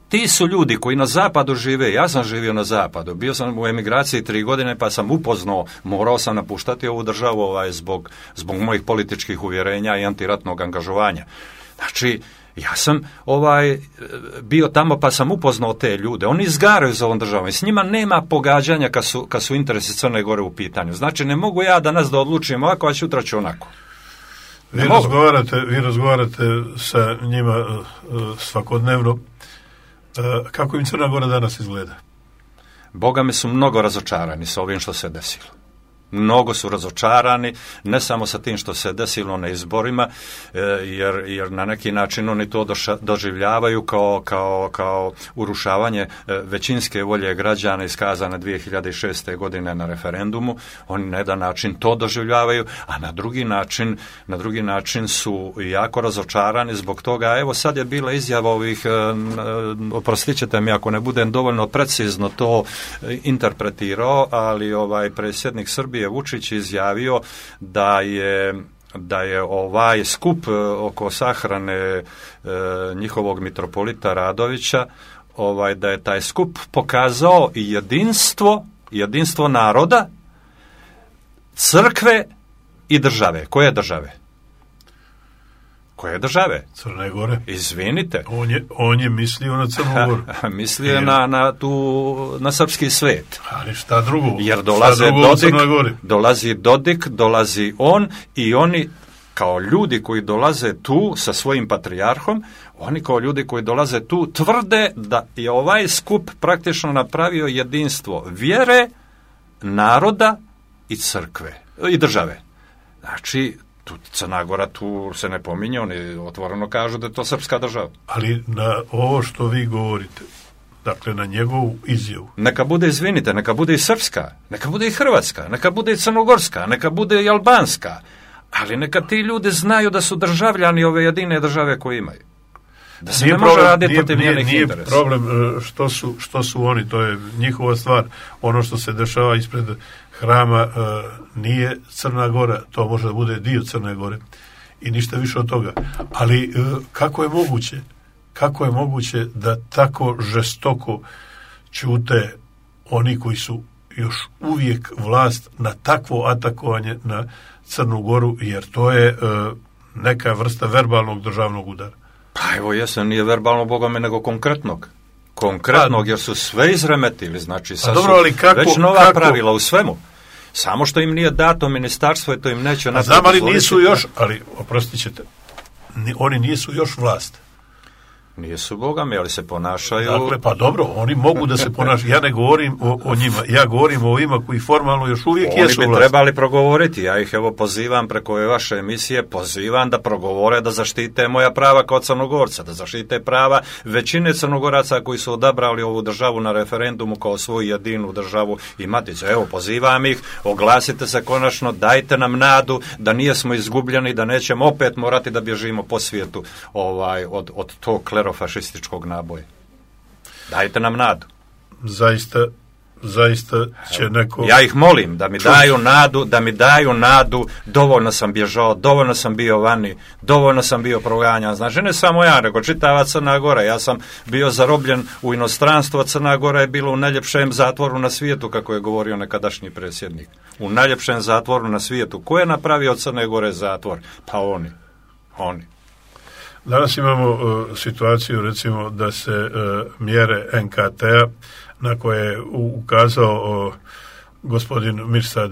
ti su ljudi koji na zapadu žive, ja sam živio na zapadu, bio sam u emigraciji 3 godine pa sam upoznao, morao sam napuštati ovu državu zbog mojih političkih uvjerenja i antiratnog angažovanja. Znači, ja sam bio tamo pa sam upoznao te ljude. Oni izgaraju za ovom državom i s njima nema pogađanja kad su interesi Crne Gore u pitanju. Znači ne mogu ja danas da odlučim ovako, a sutra ću onako. Vi razgovarate sa njima svakodnevno. Kako im Crna Gora danas izgleda? Boga mi su mnogo razočarani sa ovim što se desilo. Mnogo su razočarani, ne samo sa tim što se desilo na izborima, jer na neki način oni to doživljavaju kao urušavanje većinske volje građana iskazane 2006. godine na referendumu. Oni na jedan način to doživljavaju, a na drugi način su jako razočarani zbog toga. Evo sad je bila izjava ovih, oprostit ćete mi ako ne budem dovoljno precizno to interpretirao, ali predsjednik Srbije Vučić izjavio da je ovaj skup oko sahrane njihovog mitropolita Radovića, da je taj skup pokazao jedinstvo naroda, crkve i države. Koje države? Koje države? Crne Gore. Izvinite. On je mislio na Crnu Goru. Mislio je na srpski svet. Ali šta drugo? Jer dolazi Dodik, dolazi on i oni kao ljudi koji dolaze tu sa svojim patrijarhom, oni kao ljudi koji dolaze tu tvrde da je ovaj skup praktično napravio jedinstvo vjere, naroda i crkve i države. Znači, Crna Gora tu se ne pominje, oni otvoreno kažu da je to srpska država. Ali na ovo što vi govorite, dakle na njegovu izjavu. Neka bude, neka bude i srpska, neka bude i hrvatska, neka bude i crnogorska, neka bude i albanska, Ali neka ti ljudi znaju da su državljani ove jedine države koje imaju. Da se Nije ne može problem, raditi protiv njenih nije interesa. problem što su oni, to je njihova stvar. Ono što se dešava ispred hrama nije Crna Gora, to može da bude dio Crne Gore i ništa više od toga. Ali kako je moguće da tako žestoko ćute oni koji su još uvijek vlast na takvo atakovanje na Crnu Goru, jer to je neka vrsta verbalnog državnog udara. Pa evo jesam, nije verbalno bogome, nego konkretnog, jer su sve izremetili, znači sad dobro, ali već nova pravila u svemu. Samo što im nije dato ministarstvo i to im neće napraviti. Znam, ali nisu još, ali oprostit ćete, oni nisu još vlast. Nisu bogami, ali se ponašaju... Dakle, pa dobro, oni mogu da se ponašaju. Ja ne govorim o njima, ja govorim o ovima koji formalno još uvijek jesu vlast. Oni bi trebali progovoriti, ja ih evo pozivam preko ove vaše emisije, pozivam da progovore, da zaštite moja prava kao Crnogorca, da zaštite prava većine Crnogoraca koji su odabrali ovu državu na referendumu kao svoju jedinu državu i maticu. Evo, pozivam ih, oglasite se konačno, dajte nam nadu da nijesmo izgubljeni, da nećemo opet morati da bježimo po svijetu od tog klerofašističkog naboja. Dajte nam nadu. Zaista će neko... Ja ih molim da mi daju nadu, dovoljno sam bježao, dovoljno sam bio vani, dovoljno sam bio proganjan. Znači, ne samo ja, nego čitava Crna Gora. Ja sam bio zarobljen u inostranstvo, Crna Gora je bila u najljepšem zatvoru na svijetu, kako je govorio nekadašnji predsjednik. U najljepšem zatvoru na svijetu. Ko je napravio od Crne Gore zatvor? Pa oni. Danas imamo situaciju, recimo, da se mjere NKT-a na koje je ukazao gospodin Mirsad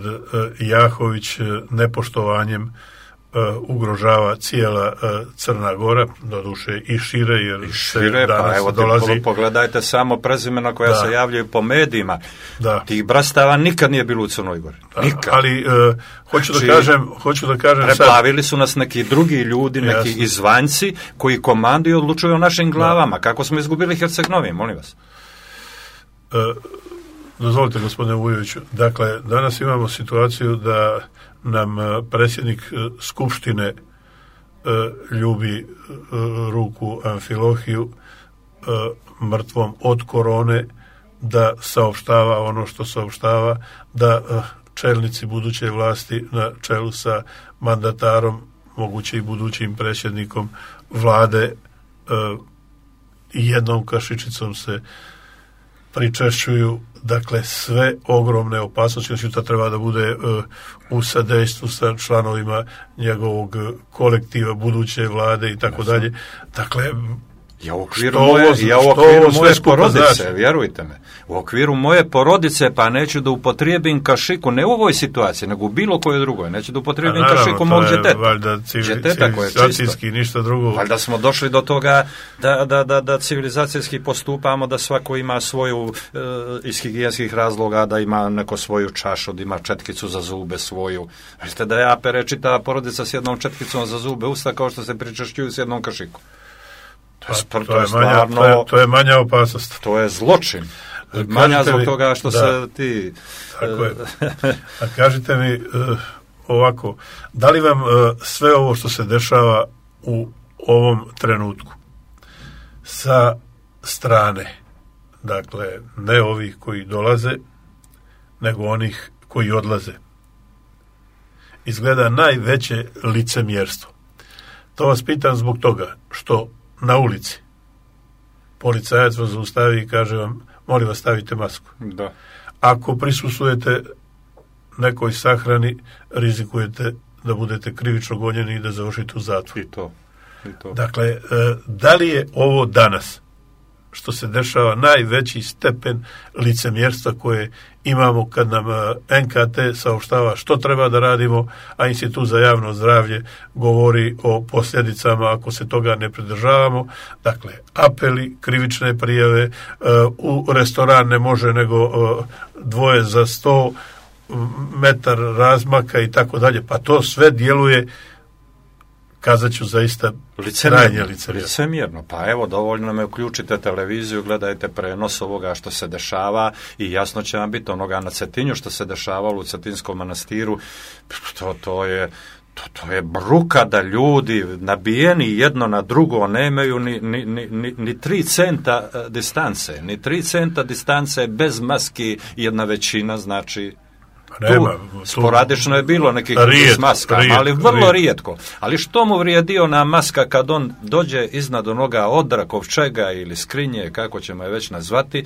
Jahović nepoštovanjem ugrožava cijela Crna Gora, doduše i šire, jer šire, pa evo dolazi... Pogledajte samo prezimena koja se javljaju po medijima. Da. Tih brastava nikad nije bilo u Crnoj Gori. Nikad. Ali hoću da kažem preplavili su nas neki drugi ljudi, neki izvanjci koji komanduju i odlučuju o našim glavama. Kako smo izgubili Herceg-Novi, molim vas. Dozvolite, gospodine Vujoviću, dakle, danas imamo situaciju da nam predsjednik Skupštine ljubi ruku Amfilohiju mrtvom od korone, da saopštava ono što saopštava, da čelnici buduće vlasti na čelu sa mandatarom, moguće i budućim predsjednikom vlade, i jednom kašičicom se pričešćuju, dakle, sve ogromne opasnosti. Sutra treba da bude u sadejstvu sa članovima njegovog kolektiva buduće vlade i tako dalje. Dakle, u okviru moje porodice, vjerujte me, u okviru moje porodice, pa neću da upotrijebim kašiku, ne u ovoj situaciji, nego u bilo kojoj drugoj, neću da upotrijebim kašiku mog djeteta koje je čisto. Ništa drugo. Valjda smo došli do toga da civilizacijski postupamo, da svako ima svoju iz higijenskih razloga, da ima neko svoju čašu, da ima četkicu za zube svoju. Vidite da ja pere čitava porodica s jednom četkicom za zube usta, kao što se pričešćuju s jednom kašikom. To je manja opasnost. To je zločin. Manja zbog toga što se ti... Tako je. A kažite mi ovako, da li vam sve ovo što se dešava u ovom trenutku sa strane, dakle, ne ovih koji dolaze, nego onih koji odlaze, izgleda najveće licemjerstvo? To vas pitam zbog toga što na ulici policajac vas zaustavi i kaže vam, molim vas, stavite masku. Da. Ako prisustvujete nekoj sahrani, rizikujete da budete krivično gonjeni i da završite u zatvoru. I to. Dakle, da li je ovo danas što se dešava najveći stepen licemjerstva koje imamo kad nam NKT saopštava što treba da radimo, a Institut za javno zdravlje govori o posljedicama ako se toga ne pridržavamo. Dakle, apeli, krivične prijave, u restoran ne može nego dvoje za 100 metar razmaka i tako dalje. Pa to sve djeluje, kazat ću, zaista krajnje licemjerno. Pa evo, dovoljno nam je, uključite televiziju, gledajte prenos ovoga što se dešava i jasno će vam biti onoga na Cetinju što se dešavalo u Cetinskom manastiru. To je bruka da ljudi nabijeni jedno na drugo nemaju ni 3 centa distance. Ni 3 centa distance bez maski jedna većina, znači sporadično je bilo nekih s maskama, ali vrlo rijetko. Ali što mu vrijedi ona maska kad on dođe iznad onoga odra, kovčega ili skrinje, kako ćemo je već nazvati,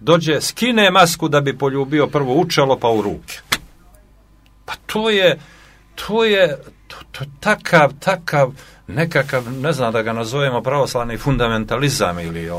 dođe, skine masku da bi poljubio prvo u čelo pa u ruke. Pa to je takav nekakav, ne znam da ga nazovemo pravoslavni fundamentalizam ili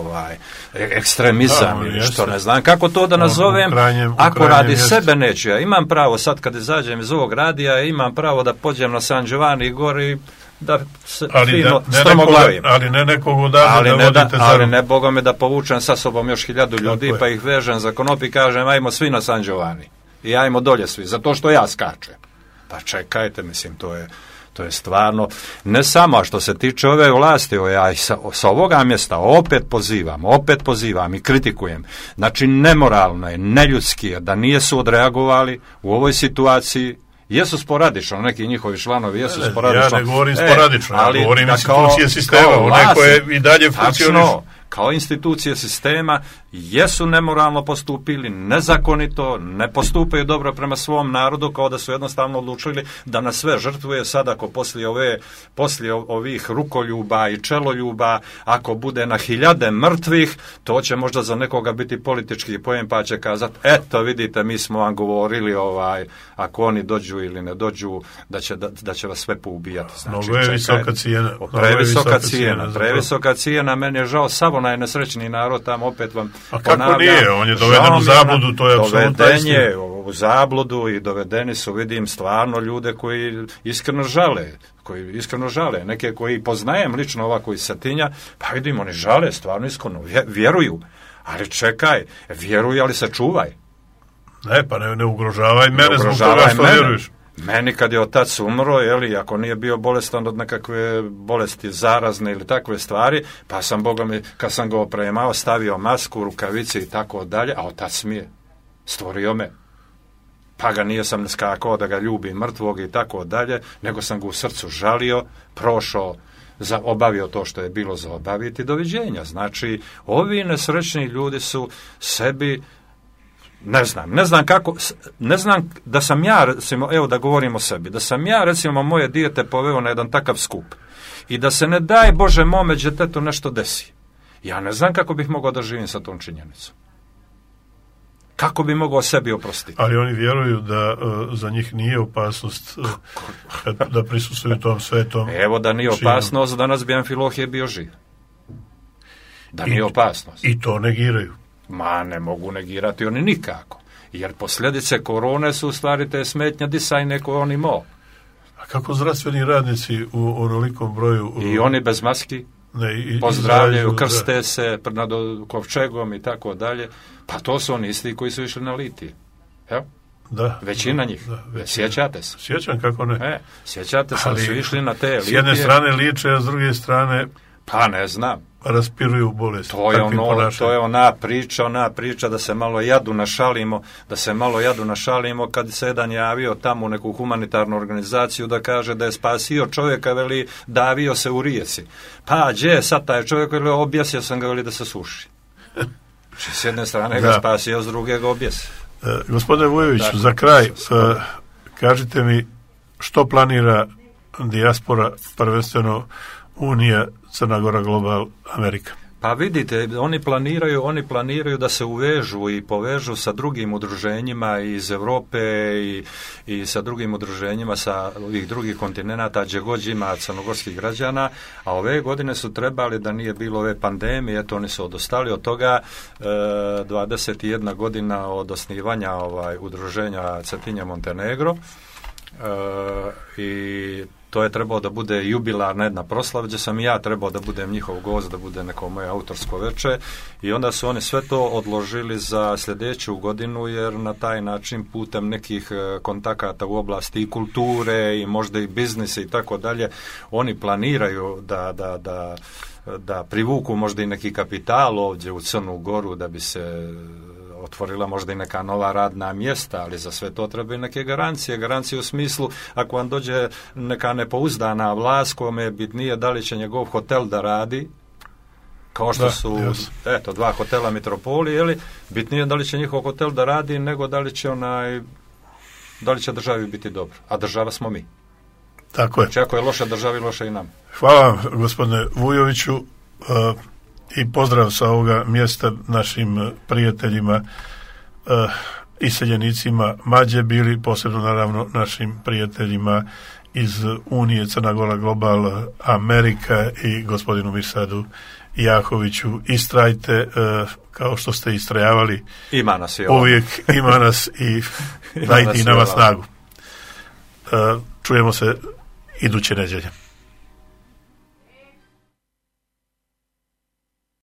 ekstremizam ili što, ne znam kako to da nazovem, ako radi sebe neću. Ja imam pravo sad kad izađem iz ovog radija, imam pravo da pođem na San Giovanni gore i da se fino strmoglavim. Ali ne nekog odavde da vodite ali ne Boga me da povučem sa sobom još 1000 ljudi pa ih vežem za konop i kažem ajmo svi na San Giovanni i ajmo dolje svi, zato što ja skačem. Pa čekajte, mislim, to je stvarno, ne samo što se tiče ove vlasti, ja sa ovoga mjesta opet pozivam i kritikujem. Znači, nemoralno je, neljudski je da nijesu odreagovali u ovoj situaciji. Jesu sporadično, neki njihovi članovi jesu sporadično. Ja ne govorim sporadično, ja govorim institucije sistema, one koje i dalje funkcionišu. Kao institucije sistema jesu nemoralno postupili, nezakonito, ne postupaju dobro prema svom narodu, kao da su jednostavno odlučili da nas sve žrtvuje. Sad ako poslije ovih rukoljuba i čeloljuba, ako bude na 1000 mrtvih, to će možda za nekoga biti politički pojem, pa će kazati, eto vidite, mi smo vam govorili ako oni dođu ili ne dođu, da će vas sve poubijati. Znači, mnogo je visoka cijena. Previsoka cijena, meni je žao, samo najnesrećniji narod tamo, opet vam a kako nije, on je doveden u zabludu, to je apsolutno istina. Doveden je u zabludu i dovedeni su, vidim, stvarno ljude koji iskreno žale, neke koji poznajem lično, ova koji Satinja, pa vidim, oni žale, stvarno iskreno, vjeruju, ali čekaj, vjeruj, ali se čuvaj. Ne, pa ne ugrožavaj mene zbog toga što vjeruješ. Meni kad je otac umro, ako nije bio bolestan od nekakve bolesti zarazne ili takve stvari, pa sam, Boga mi, kad sam ga opremao, stavio masku, rukavice i tako dalje, a otac mi je stvorio me. Pa ga nije sam skakao da ga ljubim mrtvog i tako dalje, nego sam ga u srcu žalio, prošao, obavio to što je bilo za obaviti, doviđenja. Znači, ovi nesrećni ljudi su sebi, ne znam da sam ja, recimo, evo da govorim o sebi, da sam ja, recimo, moje dijete poveo na jedan takav skup i da se ne daj Bože mome djetetu nešto desi. Ja ne znam kako bih mogao da živim sa tom činjenicom. Kako bi mogao sebi oprostiti? Ali oni vjeruju da za njih nije opasnost da prisustvuju tom svetom. Evo da nije opasnost, danas bi Amfilohije bio živ. Da nije opasnost. I to negiraju. Ma ne mogu negirati oni nikako. Jer posljedice korone su u stvari te smetnje disajne koje on imao. A kako zdravstveni radnici u onolikom broju... I oni bez maski pozdravljaju, krste se nad kovčegom i tako dalje. Pa to su oni isti koji su išli na litije. Evo. Da. Većina njih. Sjećate se? Sjećam, kako ne. Sjećate se, su išli na te litije. S jedne strane liče, a s druge strane... Pa ne znam. Raspiruju bolest. To je ona priča da se malo jadu našalimo, kad se jedan javio tamo u neku humanitarnu organizaciju da kaže da je spasio čovjeka, veli, davio se u rijeci. Pa gdje sad taj čovjek, veli, objesio sam ga, veli, da se suši. S jedne strane ga spasio, s druge ga objesi. Gospodine Vujović, za kraj, kažite mi što planira dijaspora, prvenstveno Unija, Crna Gora, Global, Amerika? Pa vidite, oni planiraju da se uvežu i povežu sa drugim udruženjima iz Europe i sa drugim udruženjima sa ovih drugih kontinenata gdje god ima crnogorskih građana, a ove godine su trebali, da nije bilo ove pandemije, eto oni su odostali od toga, 21 godina od osnivanja udruženja Cetinje Montenegro, i to je trebao da bude jubilarna jedna proslava gdje sam i ja trebao da budem njihov gost, da bude neko moje autorsko veče, i onda su oni sve to odložili za sljedeću godinu, jer na taj način putem nekih kontakata u oblasti i kulture i možda i biznisa i tako dalje, oni planiraju da privuku možda i neki kapital ovdje u Crnu Goru da bi se otvorila možda i neka nova radna mjesta, ali za sve to treba i neke garancije. Garancije u smislu, ako vam dođe neka nepouzdana vlast, kome je bitnije da li će njegov hotel da radi, kao što su, eto, 2 hotela Metropoli, jeli, bitnije da li će njihov hotel da radi, nego da li će državi biti dobro. A država smo mi. Tako je. Znači, ako je loša državi, loša i nam. Hvala vam, gospodine Vujoviću, i pozdrav sa ovoga mjesta našim prijateljima, iseljenicima Mađe bili, posebno naravno našim prijateljima iz Unije Crna Gora Global Amerika i gospodinu Mirsadu Jahoviću. Istrajte kao što ste istrajavali. Ima nas i uvijek ima nas i dajte i nama snagu. Čujemo se iduće nedjelje.